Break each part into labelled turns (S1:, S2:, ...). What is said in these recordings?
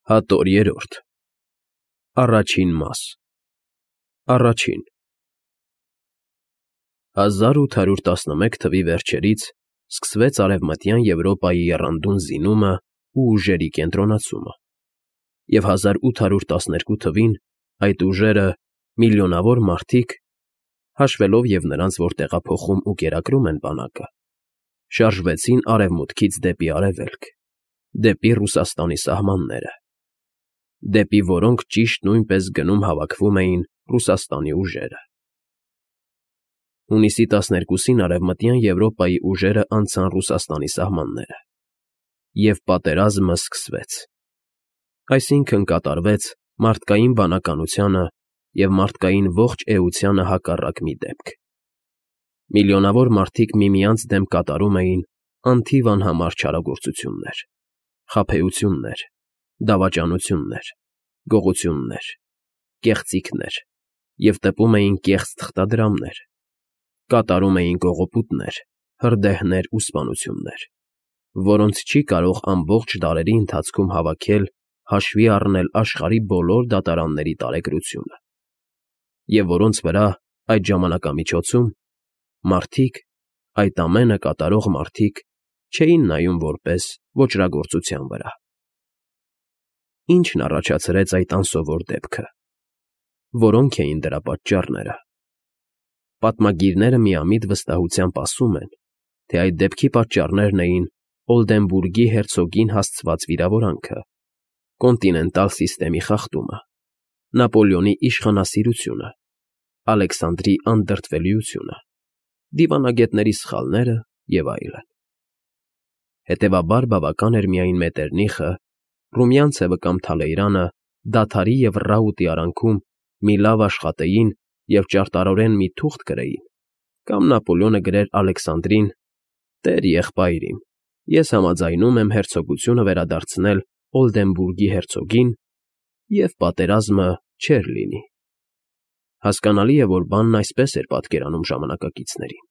S1: Հատոր 3 Առաջին մաս Առաջին 1811 թվականի վերջերից սկսվեց Արևմտյան Եվրոպայի եռանդուն զինումն ու ուժերի կենտրոնացումը, և 1812 թվականին այդ ուժերը, միլիոնավոր մարդիկ, հաշվելով և նրանց, որ տեղափոխում ու կերակրում են բանակը, շարժվեցին արևմուտքից դեպի արևելք, դեպի Ռուսաստանի սահմանները, դեպի որոնք ճիշտ նույնպես գնում հավաքվում էին Ռուսաստանի ուժերը։ Հունիսի 12-ին Արևմտյան Եվրոպայի ուժերը անցան Ռուսաստանի սահմանները, և պատերազմը սկսվեց, այսինքն՝ կատարվեց մարդկային բանականությանը և մարդկային ողջ էությանը հակառակ մի դեպք։ Միլիոնավոր մարդիկ միմյանց դեմ կատարում էին անթիվ անհամար չարագործություններ, խաբեություններ, դավաճանություններ, գողություններ, կեղծիքներ և տպում էին կեղծ թղթադրամներ, կատարում էին կողոպուտներ, հրդեհներ ու սպանություններ, որոնց չի կարող ամբողջ դարերի ընթացքում հավաքել, հաշվի առնել աշխարհի բոլոր դատարանների տարեգրությունը, և որոնց վրա այդ ժամանակամիջոցում մարդիկ, այդ ամենը կատարող մարդիկ չէին նայում որպես ոճրագործության վրա։ Ի՞նչն առաջացրեց այդ անսովոր դեպքը։ Որո՞նք էին դրա պատճառները։ Պատմագիրները միամիտ վստահությամբ ասում են, թե այդ դեպքի պատճառներն էին Օլդենբուրգի հերցոգին հասցված վիրավորանքը, կոնտինենտալ սիստեմի խախտումը, Նապոլեոնի իշխանասիրությունը, Ալեքսանդրի անդրդվելիությունը, դիվանագետների սխալները և այլն։ Հետևաբար բավական էր միայն Մետերնիխը, Ռումյանցևը կամ Թալեյրանը դադարի և ռաուտի արանքում մի լավ աշխատեին և ճարտարորեն մի թուղթ գրեին, կամ Նապոլեոնը գրեր Ալեքսանդրին. «Տեր եղբայր իմ, ես համաձայնում եմ հերցոգությունը վերադարձնել Օլդենբուրգի հերցոգին, և պատերազմը չէր լինի»։ Հասկանալի է, որ բանն այսպես էր պատկերանում ժամանակակիցներին։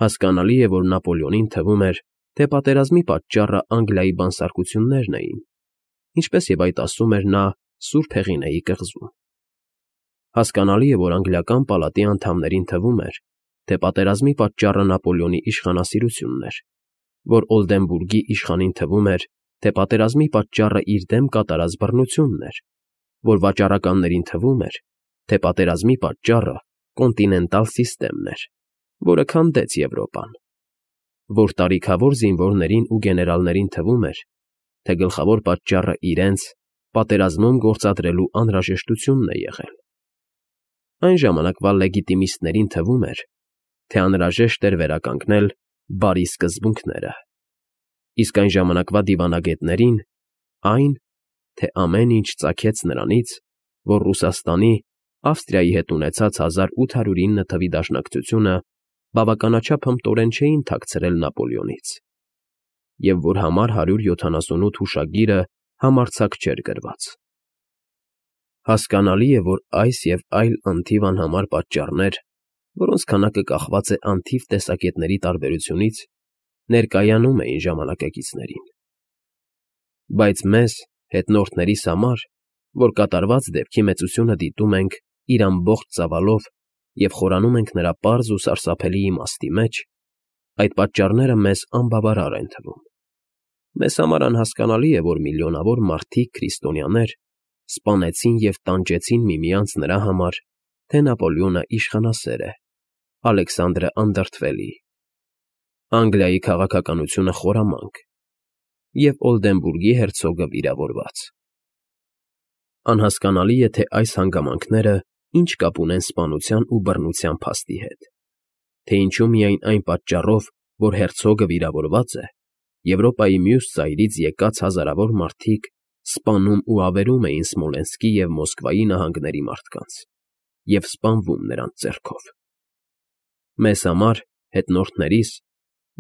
S1: Հասկանալի է, որ Նապոլեոնին թվում էր, թե պատերազմի պատճառը Անգլիայի բանսարկություններն էին, ինչպես և այդ ասում էր նա Սուրբ Հեղինեի կղզում։ Հասկանալի է, որ անգլիական պալատի անդամներին թվում էր, թե պատերազմի պատճառը Նապոլեոնի իշխանասիրությունն էր, որ Օլդենբուրգի իշխանին թվում էր, թե պատերազմի պատճառը իր դեմ կատարած բռնությունն էր, որ վաճառականներին թվում էր, թե պատերազմի պատճառը կոնտինենտալ սիստեմն էր, որը քանդեց Եվրոպան, որ տարիքավոր զինվորներին ու գեներալներին թվում էր, թե գլխավոր պատճառը իրենց պատերազմում գործադրելու անհրաժեշտությունն է եղել։ Այն ժամանակվա լեգիտիմիստներին թվում էր, թե անհրաժեշտ էր վերականգնել բարի սկզբունքները, իսկ այն ժամանակվա դիվանագետներին՝ այն, թե ամեն ինչ ծագեց նրանից, որ Ռուսաստանի Ավստրիայի հետ ունեցած 1809 թվականի դաշնակցությունը բավականաչափ հմտորեն չէին թաքցրել Նապոլեոնից, և որ համար 178 հուշագիրը համարձակ չէր գրված։ Հասկանալի է, որ այս և այլ անթիվ անհամար պատճառներ, որոնց քանակը կախված է անթիվ տեսակետների տարբերությունից, ներկայանում էին ժամանակակիցներին։ Բայց մեզ՝ հետնորդներիս համար, որ կատարված դեպքի մեծությունը դիտում ենք իր ամբողջ ծավալով և խորանում ենք նրա պարզ ու սարսափելի իմաստի մեջ, այդ պատճառները մեզ անբավարար են թվում։ Մեզ համար անհասկանալի է, որ միլիոնավոր մարդիկ քրիստոնյաներ սպանեցին և տանջեցին միմյանց նրա համար, թե Նապոլեոնը իշխանասեր է, Ալեքսանդրը անդրդվելի, Անգլիայի քաղաքականությունը խորամանկ և Օլդենբուրգի հերցոգը վիրավորված։ Անհասկանալի է, թե այս հանգամանքները ինչ կապ ունեն սպանության ու բռնության փաստի հետ, թե ինչու միայն այն պատճառով, որ հերցոգը վիրավորված է, Եվրոպայի մյուս ծայրից եկած հազարավոր մարդիկ սպանում ու ավերում էին Սմոլենսկի և Մոսկվայի նահանգների մարդկանց և սպանվում նրանց ձեռքով։ Մեզ համար, հետնորդներիս,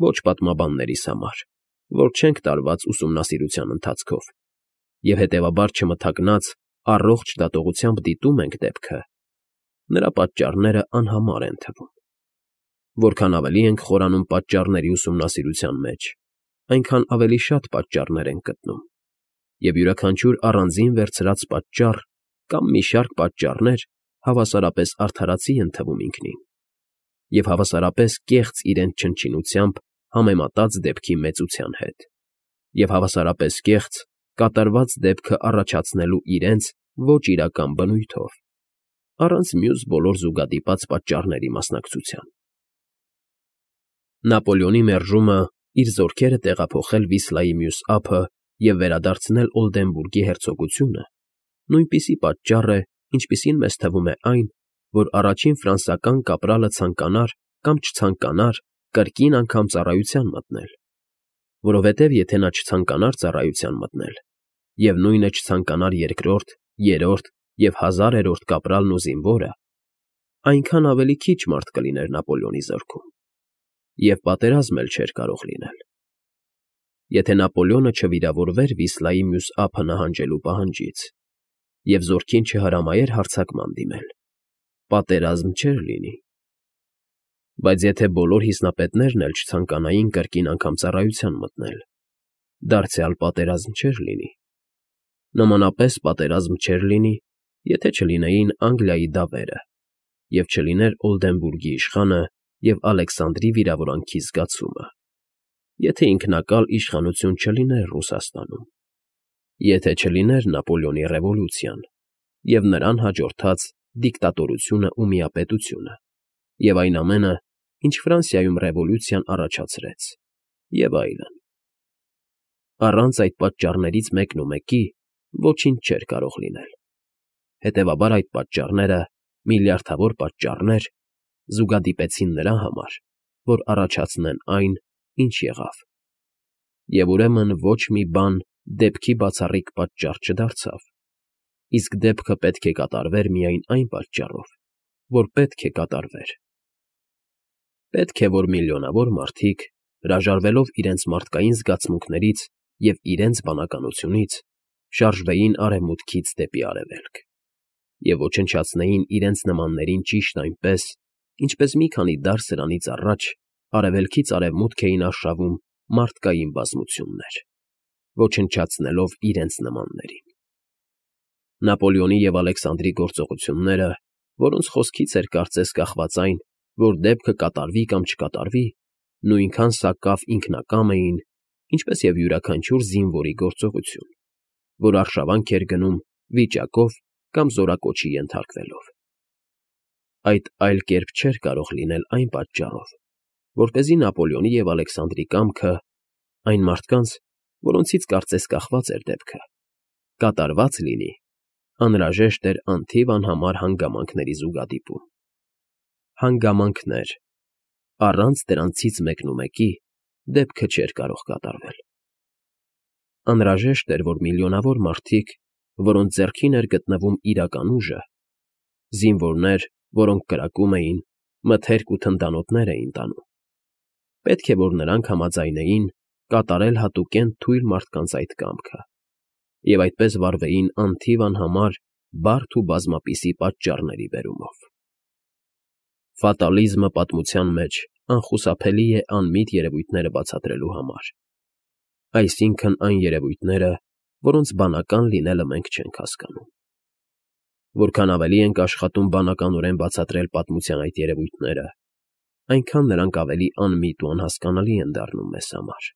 S1: ոչ պատմաբաններիս համար, որ չենք տարված ուսումնասիրության ընթացքով և հետևաբար չմթաքնած առողջ դատողությամբ դիտում ենք դեպքը, նրա պատճառները անհամար են թվում։ Որքան ավելի ենք խորանում պատճառների ուսումնասիրության մեջ, այնքան ավելի շատ պատճառներ ենք գտնում, և յուրաքանչյուր առանձին վերցրած պատճառ կամ մի շարք պատճառներ հավասարապես արդարացի են թվում ինքնին, և հավասարապես կեղծ իրենց չնչինությամբ համեմատած դեպքի մեծության հետ, և հավասարապես կեղծ կատարված դեպքը առաջացնելու իրենց ոչ իրական բնույթով, առանց մյուս բոլոր զուգադիպած պատճառների մասնակցության։ Նապոլեոնի մերժումը իր զորքերը տեղափոխել Վիսլայի մյուս ափը և վերադարձնել Օլդենբուրգի հերցոգությունը նույնպիսի պատճառ է, ինչպիսին մեզ թվում է այն, որ առաջին ֆրանսիական կապրալը ցանկանար կամ չցանկանար կրկին անգամ ծառայության մտնել, որովհետև եթե նա չցանկանար ծառայության մտնել, և նույնը չցանկանար երկրորդ, երրորդ և 1000-րդ կապրալն ու զինվորը, այնքան ավելի քիչ մարդ կլիներ Նապոլեոնի զորքում, և պատերազմ էլ չէր կարող լինել։ Եթե Նապոլեոնը չվիրավորվեր Վիսլայի մյուս ափը նահանջելու պահանջից և զորքին չհրամայեր հարձակման դիմել, պատերազմ չէր լինի։ Բայց եթե բոլոր հիմնապետներն էլ չցանկանային կրկին անգամ ծառայության մտնել, դարձյալ պատերազմ չէր լինի։ Նմանապես պատերազմ չէր լինի, եթե չլինեին Անգլիայի դավերը, և չլիներ Օլդենբուրգի իշխանը և Ալեքսանդրի վիրավորանքի զգացումը, եթե ինքնակալ իշխանություն չլիներ Ռուսաստանում, եթե չլիներ Նապոլեոնի ռևոլյուցիան և նրան հաջորդած դիկտատորությունը ու միապետությունը, և այն ամենը, ինչ Ֆրանսիայում ռևոլյուցիան առաջացրեց, և այլն։ Առանց այդ պատճառներից մեկնումեկի ոչինչ չէր կարող լինել։ Հետևաբար այդ պատճառները, միլիարդավոր պատճառներ, զուգադիպեցին նրա համար, որ առաջացնեն այն, ինչ եղավ, և ուրեմն ոչ մի բան դեպքի բացառիկ պատճառ չդարձավ, իսկ դեպքը պետք է կատարվեր միայն այն պատճառով, որ պետք է կատարվեր։ Պետք է, որ միլիոնավոր մարդիկ, հրաժարվելով իրենց մարդկային զգացմունքներից և իրենց բանականությունից, շարժվեին արևմուտքից դեպի արևելք և ոչնչացնեին իրենց նմաններին ճիշտ այնպես, ինչպես մի քանի դար սրանից առաջ արևելքից արևմուտք էին արշավում մարդկային բազմություններ, ոչնչացնելով իրենց նմաններին։ Նապոլեոնի և Ալեքսանդրի գործողությունները, որոնց խոսքից էր կարծես կախված այն, որ դեպքը կատարվի կամ չկատարվի, նույնքան սակավ ինքնակամ էին, ինչպես և յուրաքանչյուր զինվորի գործողություն, որ արշավանք էր գնում վիճակով կամ զորակոչի ենթարկվելով։ Այդ այլ կերպ չէր կարող լինել այն պատճառով, որպեսզի Նապոլեոնի և Ալեքսանդրի կամքը, այն մարդկանց, որոնցից կարծես կախված էր դեպքը, կատարված լինի, անհրաժեշտ էր անթիվ անհամար հանգամանքների զուգադիպում։ Հանգամանքներ, առանց դրանցից մեկնումեկի դեպքը չէր կարող կատարվել։ Անհրաժեշտ էր, որ միլիոնավոր մարդիկ, որոնց ձեռքին էր գտնվում իրական ուժը, զինվորներ, որոնք կրակում էին, մթերք ու թնդանոթներ էին տանում, պետք է, որ նրանք համաձայնեին կատարել հատուկենտ թույլ մարդկանց այդ կամքը և այդպես վարվեին անթիվ անհամար բարդ ու բազմապիսի պատճառների բերումով։ Ֆատալիզմը պատմության մեջ անխուսափելի է անմիտ երևույթները բացատրելու համար, այսինքն այն երևույթները, որոնց բանական լինելը մենք չենք հասկանում։ Որքան ավելի ենք աշխատում բանականորեն բացատրել պատմության այդ երևույթները, այնքան նրանք ավելի անմիտ ու անհասկանալի են դառնում մեզ համար։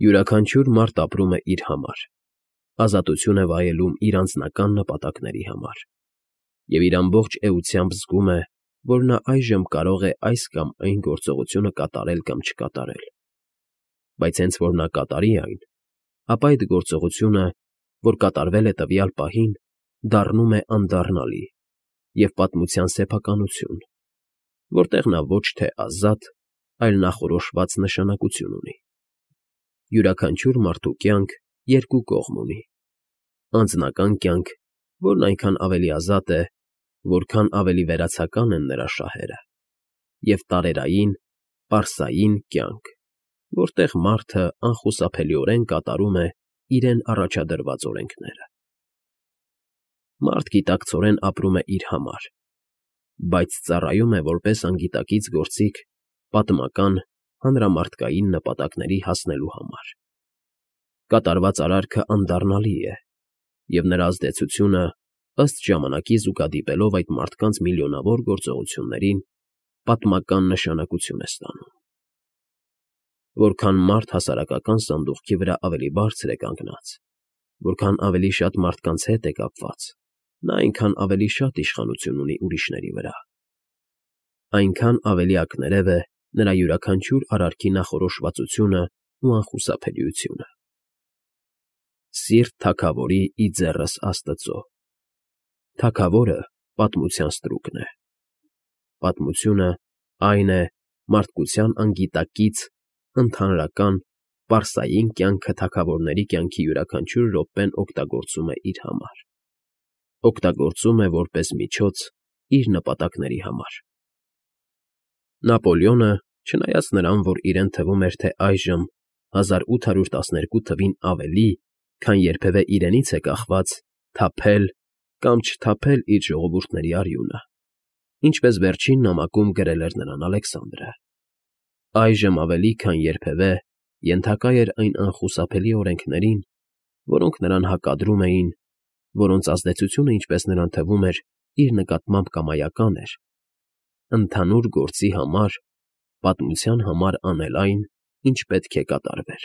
S1: Յուրաքանչյուր մարդ ապրում է իր համար, ազատություն է վայելում իր անձնական նպատակների համար, և իր ամբողջ էությամբ զգում է, որ նա այժմ կարող է այս կամ այն գործողությունը կատարել կամ չկատարել, բայց հենց որ նա կատարի այն, ապա այդ գործողությունը, որ կատարվել է տվյալ պահին, դառնում է անդառնալի և պատմության սեփականություն, որտեղ նա ոչ թե ազատ, այլ նախորոշված նշանակություն ունի։ Յուրաքանչյուր մարդու կյանք երկու կողմ ունի. անձնական կյանք, որն այնքան ավելի ազատ է, որքան ավելի վերացական են նրա շահերը, և տարերային, պարսային կյանք, որտեղ մարդը անխուսափելիորեն կատարում է իրեն առաջադրված օրենքները։ Մարդ գիտակցորեն ապրում է իր համար, բայց ծառայում է որպես անգիտակից գործիք պատմական, հանրամարդկային նպատակների հասնելու համար։ Կատարված արարքը անդառնալի է, և նրա ազդեցությունը, ըստ ժամանակի զուգադիպելով այդ մարդկանց միլիոնավոր գործողություններին, պատմական նշանակություն է ստանում։ Որքան մարդ հասարակական սանդուղքի վրա ավելի բարձր է կանգնած, որքան ավելի շատ մարդկանց հետ է կապված, նա այնքան ավելի շատ իշխանություն ունի ուրիշների վրա։ Այնքան ավելի ակներև է նրա յուրաքանչյուր արարքի նախորոշվածությունն ու անխուսափելիությունը։ Սիրտ թագավորի ի ձեռս Աստծո։ Թագավորը պատմության ստրուկն է։ Պատմությունը այն է մարդկության անգիտակից ընդհանրական պարսային կյանքը թագավորների կյանքի յուրաքանչյուր րոպեն օգտագործում է իր համար։ Օգտագործում է որպես միջոց իր նպատակների համար։ Նապոլեոնը, չնայած նրան, որ իրեն թվում էր, թե այժմ 1812 թվին ավելի, քան երբևէ իրենից է կախված, թափել կամ չթափել իր ժողովուրդների արյունը, ինչպես վերջին նամակում գրել էր նրան Ալեքսանդրը։ Այժմ ավելի քան երբևէ ենթակա էր այն անխուսափելի օրենքներին, որոնք նրան հակադրում էին, որոնց ազդեցությունը, ինչպես նրան թվում էր, իր նկատմամբ կամայական էր, ընդհանուր գործի համար, պատմության համար անել այն, ինչ պետք է կատարվեր։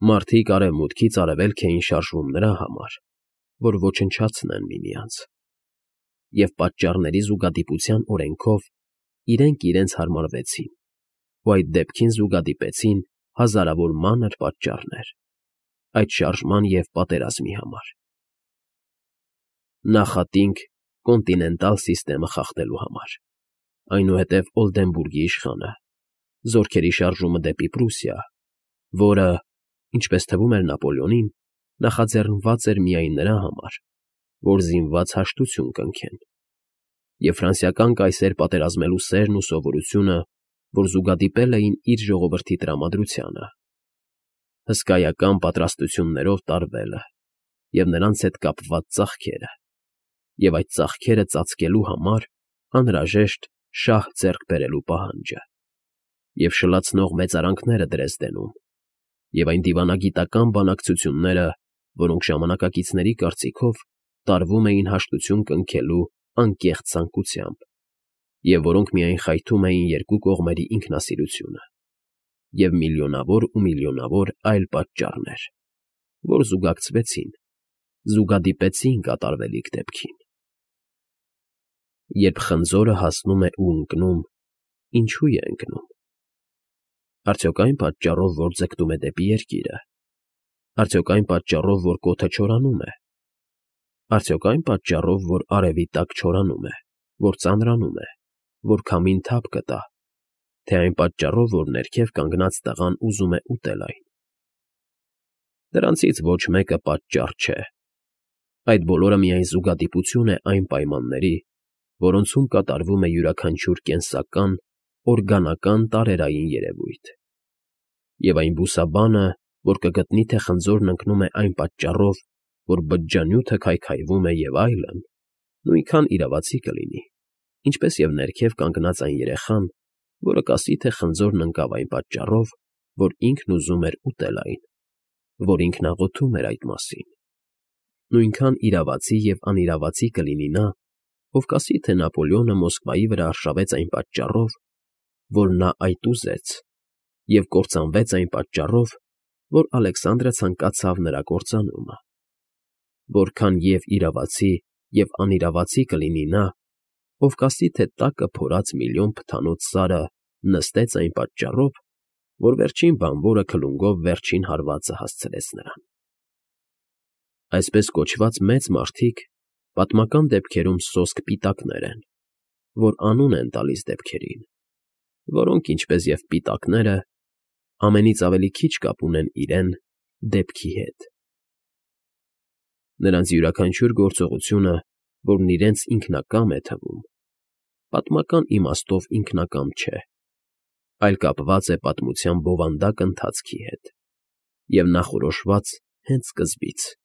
S1: Մարդիկ արևմուտքից արևելք էին շարժվում նրա համար, որ ոչնչացնեն միմյանց, և պատճառների զուգադիպության օրենքով իրենք իրենց հարմարվեցին, ու այդ դեպքին զուգադիպեցին հազարավոր մանր պատճառներ այդ շարժման և պատերազմի համար։ Նախատինք կոնտինենտալ սիստեմը խախտելու համար, այնուհետև Օլդենբուրգի իշխանը, զորքերի շարժումը դեպի Պրուսիա, որը, ինչպես թվում էր Նապոլեոնին, նախաձեռնված էր միայն նրա համար, որ զինված հաշտություն կնքեն, և ֆրանսիական կայսեր պատերազմելու սերն ու սովորությունը, որ զուգադիպել էին իր ժողովրդի տրամադրությանը, հսկայական պատրաստություններով տարվելը և նրանց հետ կապված ծախքերը, և այդ ծախքերը ծածկելու համար անհրաժեշտ շահ ձեռք բերելու պահանջը, և շլացնող մեծարանքները Դրեզդենում, և այն դիվանագիտական բանակցությունները, որոնք ժամանակակիցների կարծիքով տարվում էին հաշտություն կնքելու անկեղծ ցանկությամբ, և որոնք միայն խայթում էին երկու կողմերի ինքնասիրությունը, և միլիոնավոր ու միլիոնավոր այլ պատճառներ, որ զուգակցվեցին, զուգադիպեցին կատարվելիք դեպքին։ Երբ խնձորը հասնում է ու ընկնում, ինչու է ընկնում։ Արդյոք այն պատճառով, որ ձգտում է դեպի երկիրը, արդյոք այն պատճառով, որ կոթը չորանում է, արդյոք այն պատճառով, որ արևի տակ չորանում է, որ ծանրանում է, որ քամին թափ կտա, թե այն պատճառով, որ ներքև կանգնած տղան ուզում է ուտել այն։ Դրանցից ոչ մեկը պատճառ չէ։ Այդ բոլորը միայն զուգադիպություն է այն պայմանների, որոնցում կատարվում է յուրաքանչյուր կենսական, օրգանական տարերային երևույթ։ Եվ այն բուսաբանը, որ կգտնի, թե խնձորն ընկնում է այն պատճառով, որ բջջանյութը քայքայվում է և այլն, նույնքան իրավացի կլինի, ինչպես և ներքև կանգնած այն երեխան, որը կասի, թե խնձորն ընկավ այն պատճառով, որ ինքն ուզում էր ուտել այն, որ ինքն աղոթում էր այդ մասին։ Նույնքան իրավացի և անիրավացի կլինի նա, ով կասի, թե Նապոլեոնը Մոսկվայի վրա արշավեց այն պատճառով, որ նա այդ ուզեց, և կործանվեց այն պատճառով, որ Ալեքսանդրը ցանկացավ նրա կործանումը։ Որքան և իրավացի, և անիրավացի կլինի նա, ով կասի, թե տակը փորած միլիոն փթանոց սարը նստեց այն պատճառով, որ վերջին բանվորը քլունգով վերջին հարվածը հասցրեց նրան։ Այսպես կոչված մեծ մարդիկ պատմական դեպքերում սոսկ պիտակներ են, որ անուն են տալիս դեպքերին, որոնք, ինչպես և պիտակները, ամենից ավելի քիչ կապ ունեն իրեն դեպքի հետ։ Նրանց յուրաքանչյուր գործողությունը, որն իրենց ինքնակամ է թվում, պատմական իմաստով ինքնակամ չէ, այլ կապված է պատմության բովանդակ ընթացքի հետ և նախորոշված հենց սկզբից։